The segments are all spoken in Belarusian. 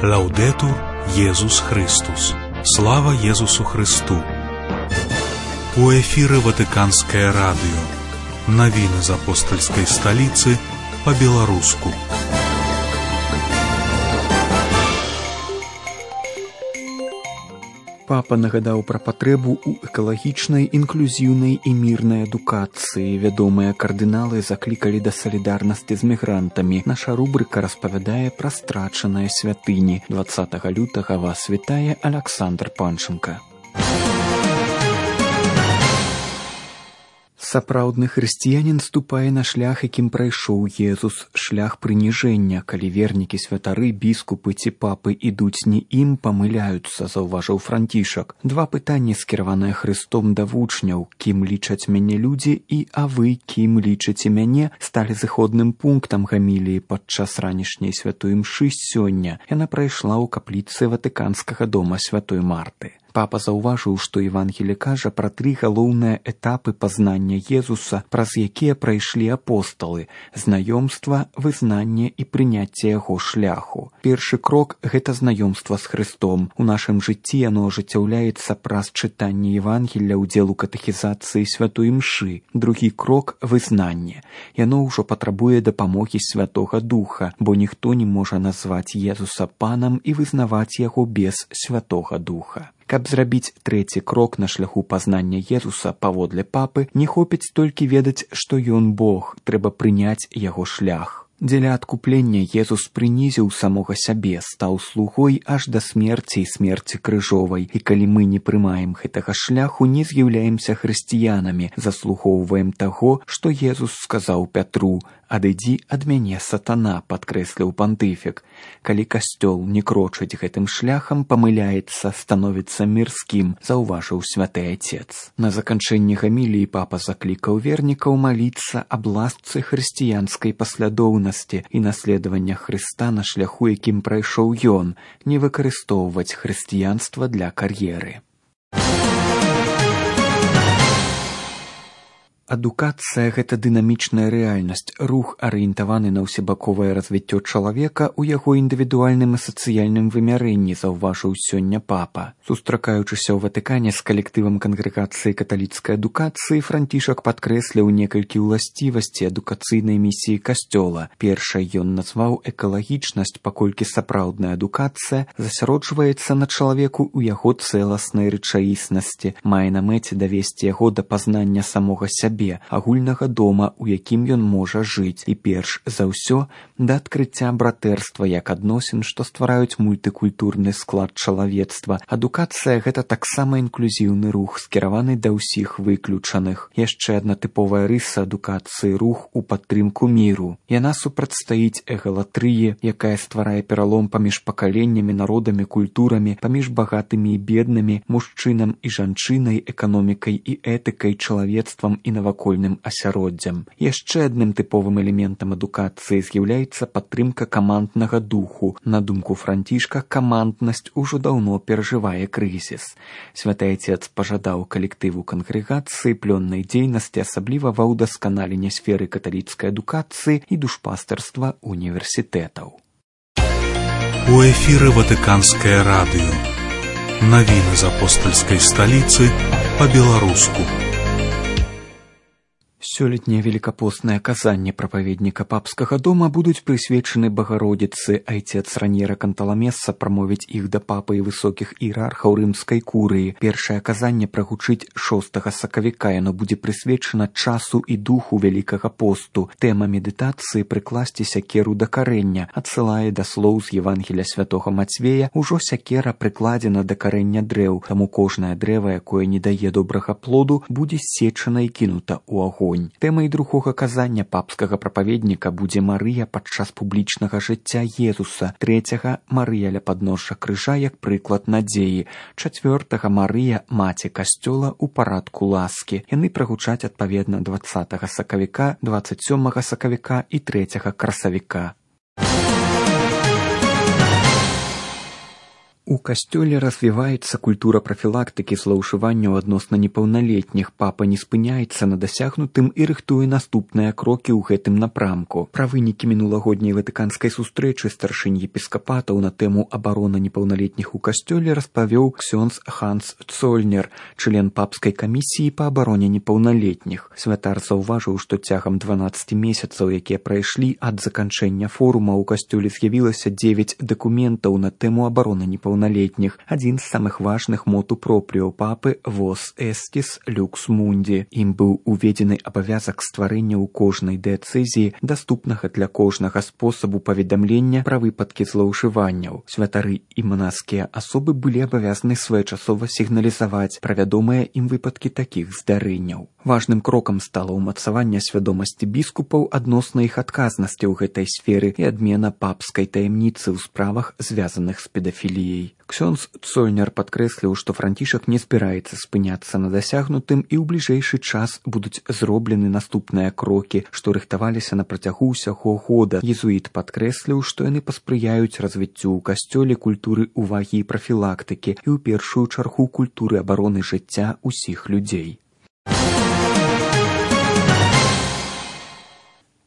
Лаўдетур Єсус Христос. Слава Єсусу Христу. У эфіры Ватыканскае радыё. Навіны з апостальскай сталіцы па-беларуску. Папа нагадаў пра патрэбу ў экалагічнай, інклюзіўнай і мірнай адукацыі. Вядомыя кардыналы заклікалі да салідарнасці з мігрантамі. Наша рубрыка распавядае пра страчаныя святыні. 20 лютага вас вітае Аляксандр Панченка. Сапраўдны хрысціянін ступае на шлях, якім прайшоў Езус, шлях прыніжэння. Калі вернікі, святары, біскупы ці папы ідуць не ім, памыляюцца, заўважыў Францішак. Два пытанні, скіраваныя Христом да вучняў: кім лічаць мяне людзі і а вы кім лічыце мяне, сталі зыходным пунктам гаміліі падчас ранішняй святой імшы сёння. Яна прайшла ў капліцы Ватыканскага дома святой Марты. Папа заўважыў, што Евангелие кажа пра тры галоўныя этапы пазнання Езуса, праз якія прайшлі апосталы: знаёмства, вызнанне і прыняцце яго шляху. Першы крок – гэта знаёмства з Христом. У нашым жыцці яно ажыццяўляецца праз чытанне Евангелля, удзел у катэхізацыі святой імшы. Другі крок – вызнанне. Яно ўжо патрабуе дапамогі Святога Духа, бо ніхто не можа назваць Езуса панам і вызнаваць яго без Святога Духа. Каб зрабіць трэці крок на шляху пазнання Езуса, паводле папы, не хопіць толькі ведаць, што ён Бог, трэба прыняць яго шлях. Дзеля адкуплення Езус прынізіў самога сябе, стаў слугой аж да смерці і смерці крыжовай. І калі мы не прымаем гэтага шляху, не з'яўляемся хрысціянамі, заслугоўваем таго, што Езус сказаў Пятру: «Адыдзі ад мяне, сатана», падкрэсліў пантыфік. Калі касцёл не крочыць гэтым шляхам, памыляецца, становіцца мірскім, заўважыў святы Отец. На заканчэнні гаміліі папа заклікаў вернікаў маліцца аб ласцы хрысціянскай паслядоўнасці і наследавання Хрыста на шляху, якім прайшоў ён, не выкарыстоўваць хрысціянства для кар'еры. Адукацыя – гэта дынамічная рэальнасць, рух, арыентаваны на ўсебаковае развіццё чалавека ў яго індывідуальным і сацыяльным вымярэнні, заўважыў сёння папа. Сустракаючыся ў Ватыкане з калектывам кангрэгацыі каталіцкай адукацыі, Францішак падкрэсліў некалькі ўласцівасцей адукацыйнай місіі касцёла. Першай ён назваў экалагічнасць, паколькі сапраўдная адукацыя засяроджваецца на чалавеку ў яго цэласнай рэчаіснасці, мае на мэце давесці яго да пазнання самога сябе, агульнага дома, у якім ён можа жыць, і перш за ўсё да адкрыцця братэрства як адносін, што ствараюць мультыкультурны склад чалавецтва. Адукацыя – гэта таксама інклюзіўны рух, скіраваны да ўсіх выключаных. Яшчэ адна тыповая рыса адукацыі – рух у падтрымку міру. Яна супрацьстаіць эгалатрыі, якая стварае пералом паміж пакаленнямі, народамі, культурамі, паміж багатымі і беднымі, мужчынам і жанчынай, эканомікай і этыкай, чалавецтвам і навакольным асяроддзям. Яшчэ адным тыповым элементам адукацыі з'яўляецца падтрымка каманднага духу. На думку Францішка, каманднасць ужо даўно перажывае крызіс. Святы Отец пажадаў калектыву кангрэгацыі плённай дзейнасці, асабліва ва ўдасканаленні сферы каталіцкай адукацыі і душпастарства універсітэтаў. У эфіры Ватыканскае радыё. Навіны з апостальскай сталіцы па-беларуску. Сёлетнее великопостное казанне прапаведніка папскага дома будуць прысвечаны Багародзіцы. Айцец Раньера Канталамеса прамовіць іх да папы і высокіх іерархаў рымскай курыі. Першае казанне прагучыць 6 сакавіка. Яно будзе прысвечана часу і духу Вялікага посту. Тэма медытацыі «Прыкласці сякеру да карэння» адсылае да слоў з Евангелія святога Мацвея: «Ужо сякера прыкладзена да карэння дрэў, таму кожнае дрэва, якое не дае добрага плоду, будзе ссечана і кінута ў агонь». Тэмай другога казання папскага прапаведніка будзе Марыя падчас публічнага жыцця Езуса, трэцяга – Марыя ля падножжа крыжа як прыклад надзеі, чацвёртага – Марыя – маці касцёла ў парадку ласкі. Яны прагучаць адпаведна 20 сакавіка, 27 сакавіка і 3 красавіка. У касцёле развіваецца культура прафілактыкі злоўжыванняў адносна непаўналетніх. Папа не спыняецца на дасягнутым і рыхтуе наступныя крокі ў гэтым напрамку. Пра вынікі мінулагодняй ватыканскай сустрэчы старшынь епіскапатаў на тэму абароны непаўналетніх у касцёле распавёў ксёндз Ханс Цольнер, член папскай камісіі па абароне непаўналетніх. Святар заўважыў, што цягам 12 месяцаў, якія прайшлі ад заканчэння форума, у касцёле з'явілася 9 дакументаў на тэму абароны непаўналетніх. Адзін з самых важных моту пропріо папы «Vos estis lux mundi». Ім быў уведзены абавязак стварэння ў кожнай дыяцэзіі даступнага для кожнага спосабу паведамлення пра выпадкі злоўжыванняў. Святары і манаскія асобы былі абавязаны своечасова сігналізаваць пра вядомыя ім выпадкі такіх здарэнняў. Важным крокам стала ўмацаванне свядомасці біскупаў адносна іх адказнасці ў гэтай сферы і адмена папскай таямніцы ў справах, звязаных з педафіліяй. Ксёндз Цольнер падкрэсліў, што Францішак не збіраецца спыняцца на дасягнутым і ў бліжэйшы час будуць зроблены наступныя крокі, што рыхтаваліся на працягу ўсяго года. Езуіт падкрэсліў, што яны паспрыяюць развіццю ў касцёле культуры ўвагі і прафілактыкі і ў першую чаргу культуры абароны жыцця ўсіх людзей.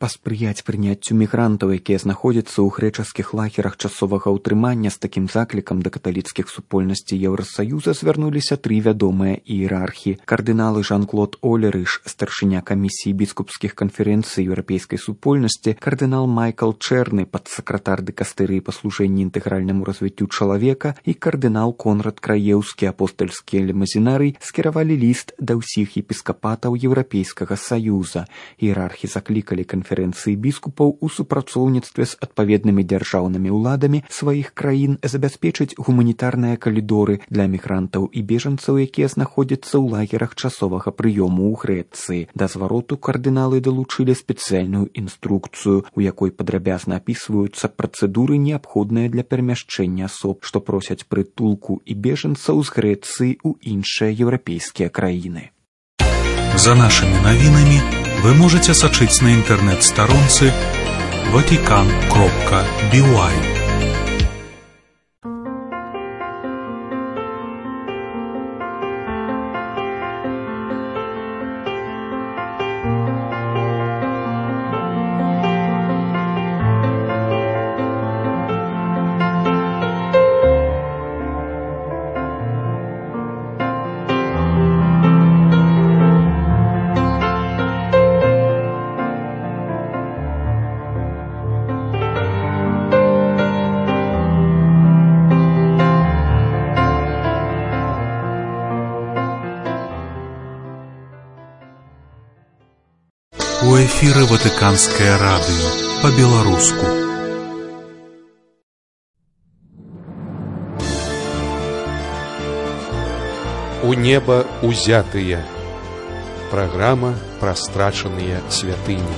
Паспрыяць прыняццю мігрантаў, якія знаходзяцца ў грэчаскіх лагерах часовага ўтрымання, з такім заклікам да каталіцкіх супольнасцей Еўрасаюза звярнуліся 3 вядомыя іерархі. Кардыналы Жан-Клод Олерыш, старшыня камісіі біскупскіх канферэнцый еўрапейскай супольнасці, кардынал Майкл Чэрны, падсакратар дыкастэрыі па служэнні інтэгральнаму развіццю чалавека, і кардынал Конрад Краеўскі, апостальскі лімазінарый, скіравалі ліст да ўсіх епіскапатаў Еўрапейскага саюза. Іерархі заклікалі канферэнцыі біскупаў у супрацоўніцтве з адпаведнымі дзяржаўнымі ўладамі сваіх краін забяспечыць гуманітарныя калідоры для мігрантаў і бежанцаў, якія знаходзяцца ў лагерах часовага прыёму ў Грэцыі. Да звароту кардыналы далучылі спецыяльную інструкцыю, у якой падрабязна апісваюцца працэдуры, неабходныя для перамяшчэння асоб, што просяць прытулку і бежанцаў з Грэцыі ў іншыя еўрапейскія краіны. За нашими новинами вы можете сачыць на інтэрнэт-старонцы vatican.by. У эфіры Ватыканскае радыё па-беларуску. У неба узятыя. Праграма пра страчаныя святыні.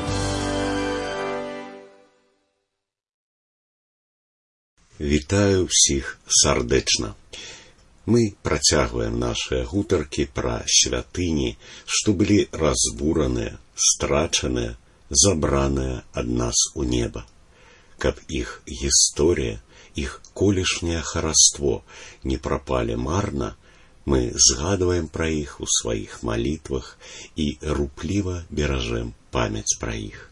Вітаю ўсіх сардэчна. Мы працягваем нашыя гутаркі пра святыні, што былі разбураныя, страчаныя, забраныя ад нас у неба. Каб іх гісторыя, іх колішняе хараство не прапалі марна, мы згадваем пра іх у сваіх малітвах і рупліва беражэм памяць пра іх.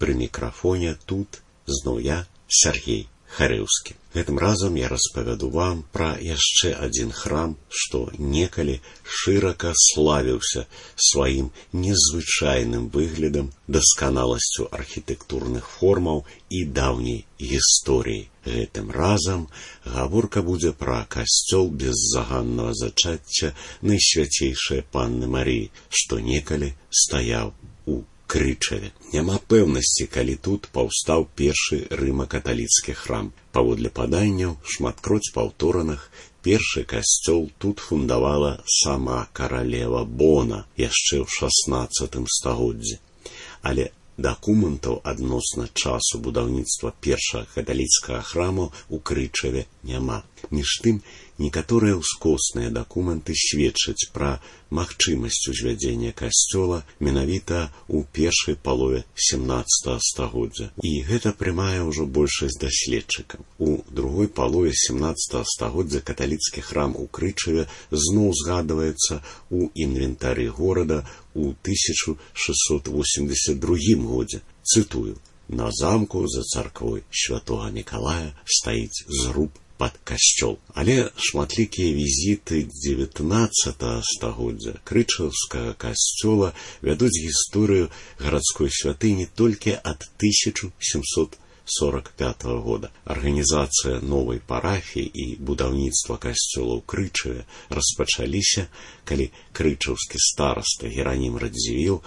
Пры мікрафоне тут зноў я, Сергей Харэўскі. Гэтым разам я распавяду вам пра яшчэ адзін храм, што некалі шырака славіўся сваім незвычайным выглядам, дасканаласцю архітэктурных формаў і даўняй гісторыі. Гэтым разам гаворка будзе пра касцёл беззаганнага зачацця Найсвяцейшай Панны Марыі, што некалі стаяў у Крычаве. Няма пэўнасці, калі тут паўстаў першы рыма-каталіцкі храм. Паводле паданняў, шматкроць паўтораных, першы касцёл тут фундавала сама каралева Бона яшчэ ў 16 стагоддзі. Але дакументаў адносна часу будаўніцтва першага каталіцкага храму ў Крычаве няма. Між тым, Некаторыя ўскосныя дакументы сведчаць пра магчымасць узвядзення касцёла менавіта ў першай палове 17 стагоддзя. І гэта прымае ўжо большасць даследчыкаў. У другой палове 17 стагоддзя каталіцкі храм у Крычаве зноў згадваецца ў інвентары горада ў 1682 годзе. Цытую: «На замку за царквой святога Мікалая стаіць зруб пад касцёл». Але шматлікія візіты 19 стагоддзя крычаўскага касцёла вядуць гісторыю гарадской святыні толькі ад 1745 года. Арганізацыя новай парафіі і будаўніцтва касцёла ў Крычаве распачаліся, калі крычаўскі стараста Геранім Радзівіл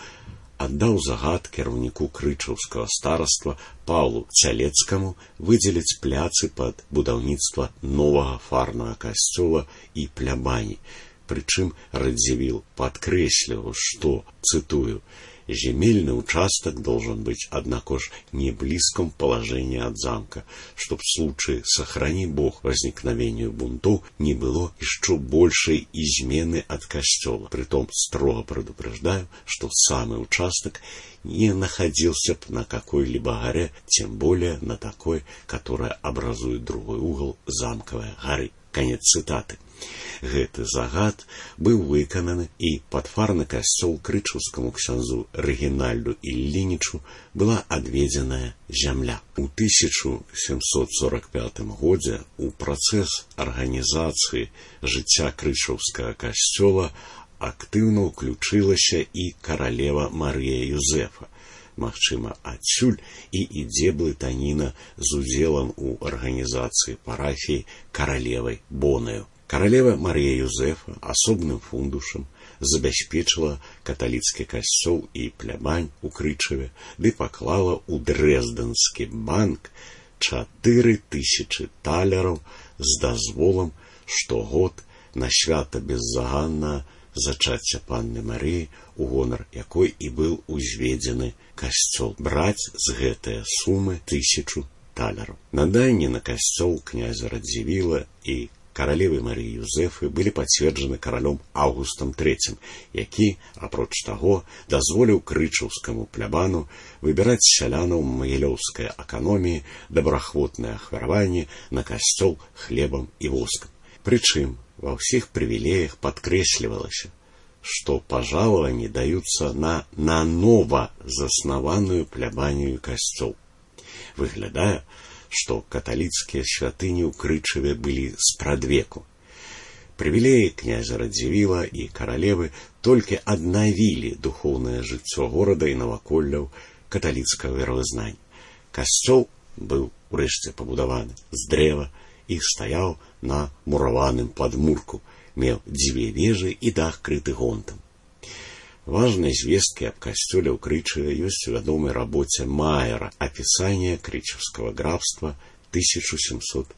аддаў загад кіраўніку крычаўскага стараства Паўлу Цялецкаму выдзеліць пляцы пад будаўніцтва новага фарнага касцёла і плябані. Прычым Радзівіл падкрэсліваў, што, цытую, «Земельный участок должен быть, однако ж, не в близком положении от замка, чтоб в случае, сохрани Бог, возникновению бунтов не было еще большей измены от костела. Притом строго предупреждаю, что самый участок не находился б на какой-либо горе, тем более на такой, которая образует другой угол замковой горы». Конец цитаты. Гэты загад быў выкананы, і падфарны касцёл крычаўскаму ксяндзу Рэгінальду Іллінічу была адведзеная зямля. У 1745 годзе у працэс арганізацыі жыцця крычаўскага касцёла актыўна ўключылася і каралева Марыя Юзэфа. Магчыма, адсюль і ідзе блытаніна з удзелам у арганізацыі парафіі каралевай Бонаю. Каралева Марія Юзэфа асобным фундушам забяспечыла каталіцкі касцёл і плябань у Крычаве, ды паклала ў Дрэздэнскі банк 4000 талераў з дазволам штогод на свята беззаганнага зачацця панны Марыі, у гонар якой і быў узведзены касцёл, браць з гэтыя сумы 1000 талераў. Наданні на касцёл князя Радзівіла і каралевы Марыі Юзэфы былі пацверджаны каралём Аўгустам III, які, апроч таго, дазволіў крычаўскаму плябану выбіраць сялянаў магілёўскай аканоміі добраахвотнае ахвяраванне на касцёл хлебам і воскам. Прычым ва ўсіх прывілеях падкрэслівалася, што пажалаванні даюцца на нанова заснаваную плябанію касцёл. Выглядае, што каталіцкія святыні ў Крычаве былі спрадвеку. Прывілеі князя Радзівіла і каралевы толькі аднавілі духоўнае жыццё горада і наваколляў каталіцкага веравызнання. Касцёл быў урэшце пабудаваны з дрэва і стаяў на мураваным падмурку, меў 2 вежы і дах крыты гонтам. Важнай звесткі аб касцёле ў Крычаве ёсць у вядомай рабоце Маера «Апісанне крычаўскага графства» 1786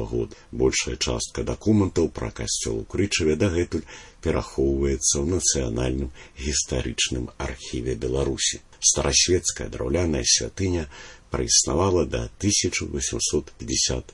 года. Большая частка дакументаў пра касцёл у Крычаве дагэтуль перахоўваецца ў нацыянальным гістарычным архіве Беларусі. Старасвецкая драўляная святыня праіснавала да 1855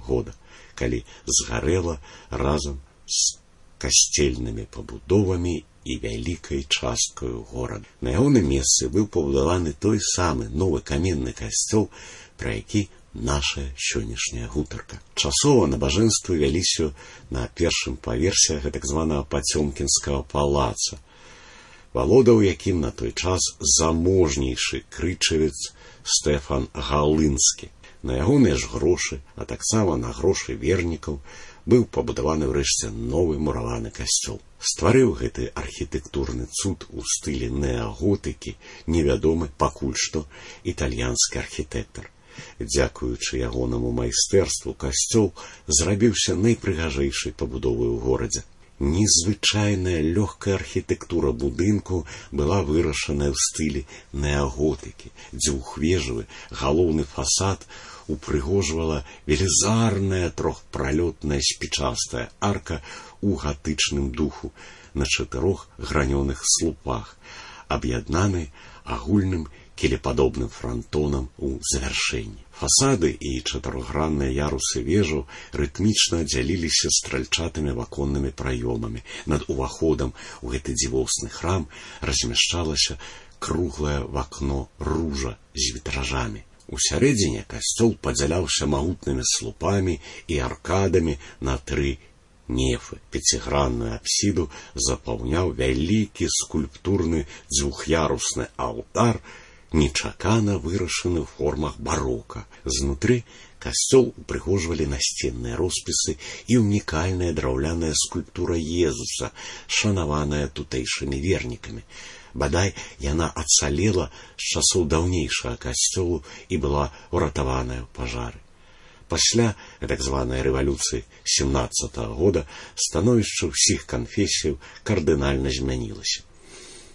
года, калі згарэла разам з касцельнымі пабудовамі і вялікай часткаю горада. На ягоным месцы быў пабудаваны той самы новы каменны касцёл, пра які наша сённяшняя гутарка. Часова набажэнствы вяліся на першым паверсе гэтак званага Пацёмкінскага палаца, валодаў якім на той час заможнейшы крычавец Стэфан Галынскі. На ягоныя ж грошы, а таксама на грошы вернікаў, быў пабудаваны ўрэшце новы мураваны касцёл. Стварыў гэты архітэктурны цуд у стылі неаготыкі невядомы пакуль што італьянскі архітэктар. Дзякуючы ягонаму майстэрству касцёл зрабіўся найпрыгажэйшай пабудовай у горадзе. Незвычайная лёгкая архітэктура будынку была вырашаная ў стылі неаготыкі. Дзвюхвежавы галоўны фасад упрыгожвала велізарная трохпралётная спічастая арка у гатычным духу на 4 гранёных слупах, аб'яднанай агульным кілепадобным франтонам у завяршэнні. Фасады і чатырохгранныя ярусы вежаў рытмічна дзяліліся стральчатымі ваконнымі праёмамі. Над уваходам у гэты дзівосны храм размяшчалася круглае вакно ружа з вітражамі. Усярэдзіне касцёл падзяляўся магутнымі слупамі і аркадамі на 3 нефы. Пяцігранную апсіду запаўняў вялікі скульптурны дзвюх'ярусны алтар, нечакана вырашаны ў формах барока. Знутры касцёл упрыгожвалі насценныя роспісы і унікальная драўляная скульптура Езуса, шанаваная тутэйшымі вернікамі. Бадай, яна ацалела з часоў даўнейшага касцёлу і была ўратаваная ў пажары. Пасля так званай рэвалюцыі 17-го года становішча ўсіх канфесіяў кардынальна змянілася.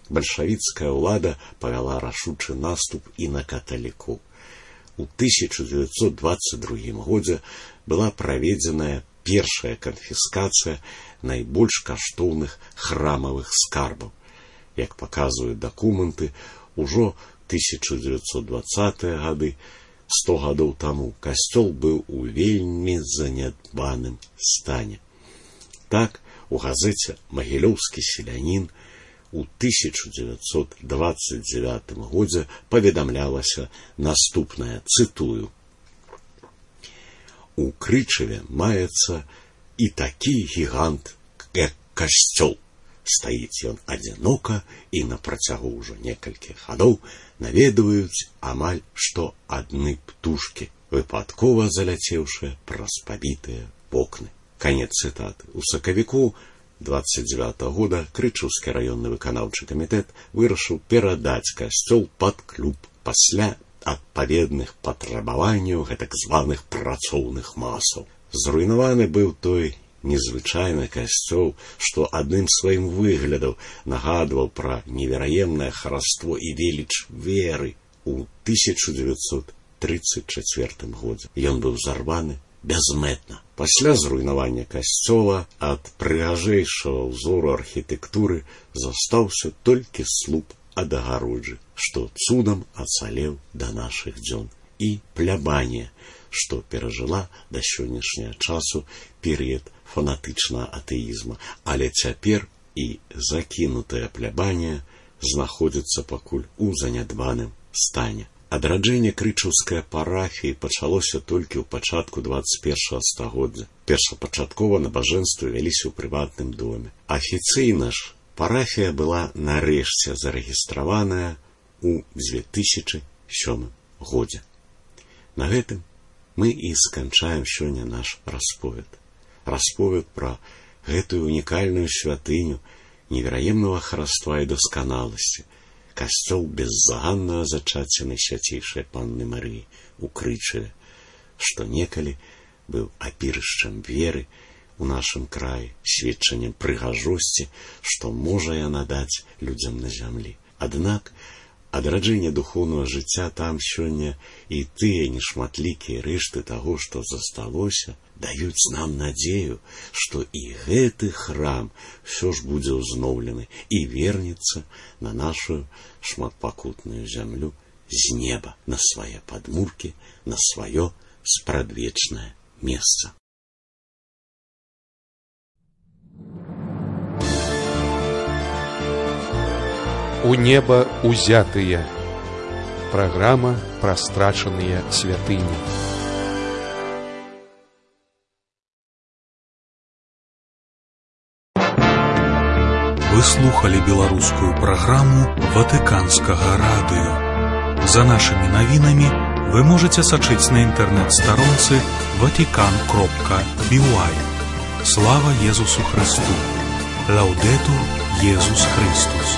Бальшавіцкая ўлада павяла рашучы наступ і на каталікоў. У 1922 годзе была праведзеная першая канфіскацыя найбольш каштоўных храмавых скарбаў. Як паказваюць дакументы, ужо 1920-е гады, 100 гадоў таму, касцёл быў у вельмі занядбаным стане. Так, у газеце «Магілёўскі селянін» у 1929 годзе паведамлялася наступнае, цытую: «У Крычаве маецца і такі гігант, як касцёл. Стаіць ён адзінока, і на працягу ўжо некалькіх гадоў наведваюць амаль што адны птушкі, выпадкова заляцеўшыя праз пабітыя вокны». Канец цытаты. У сакавіку 29 года Крычаўскі раённы выканаўчы камітэт вырашыў перадаць касцёл пад клуб пасля адпаведных патрабаванняў гэтак званых працоўных масаў. Зруйнаваны быў той незвычайны касцёл, што адным сваім выглядам нагадваў пра невераемнае хараство і веліч веры. У 1934 годзе ён быў зарваны бязмэтна. Пасля зруйнавання касцёла ад прыгажэйшага ўзору архітэктуры застаўся толькі слуп ад агароджы, што цудам ацалеў да нашых дзён, і плябанія, што перажыла да сённяшняга часу перыяд фанатычнага атэізма, але цяпер і закінутая плябанія знаходзіцца пакуль у занядбаным стане. Адраджэнне крычаўскай парафіі пачалося толькі ў пачатку 21 стагоддзя. Першапачаткова набажэнствы вяліся ў прыватным доме. Афіцыйна ж парафія была нарэшце зарэгістраваная ў 2007 годзе. На гэтым мы і сканчаем сёння наш расповед. Расповед пра гэтую унікальную святыню невераемнага хараства і дасканаласці, касцёл беззаганнага зачацця Найсвяцейшай Панны Марыі у Крычаве, што некалі быў апірышчам веры у нашым краі, сведчаннем прыгажосці, што можа яна даць людзям на зямлі. Аднак адраджэнне духоўнага жыцця там сёння і тыя нешматлікія рэшты таго, што засталося, даюць нам надзею, што і гэты храм ўсё ж будзе ўзноўлены і вернецца на нашу шматпакутную зямлю з неба, на свае падмуркі, на сваё спрадвечнае месца. У неба узятыя. Праграма пра страчаныя святыні. Вы слухали беларускую праграму Ватыканскага радыё. За нашымі навінамі вы можаце сачыць на інтэрнэт-старонцы vatican.by. Слава Езусу Христу! Лаўдэтур Езус Христус!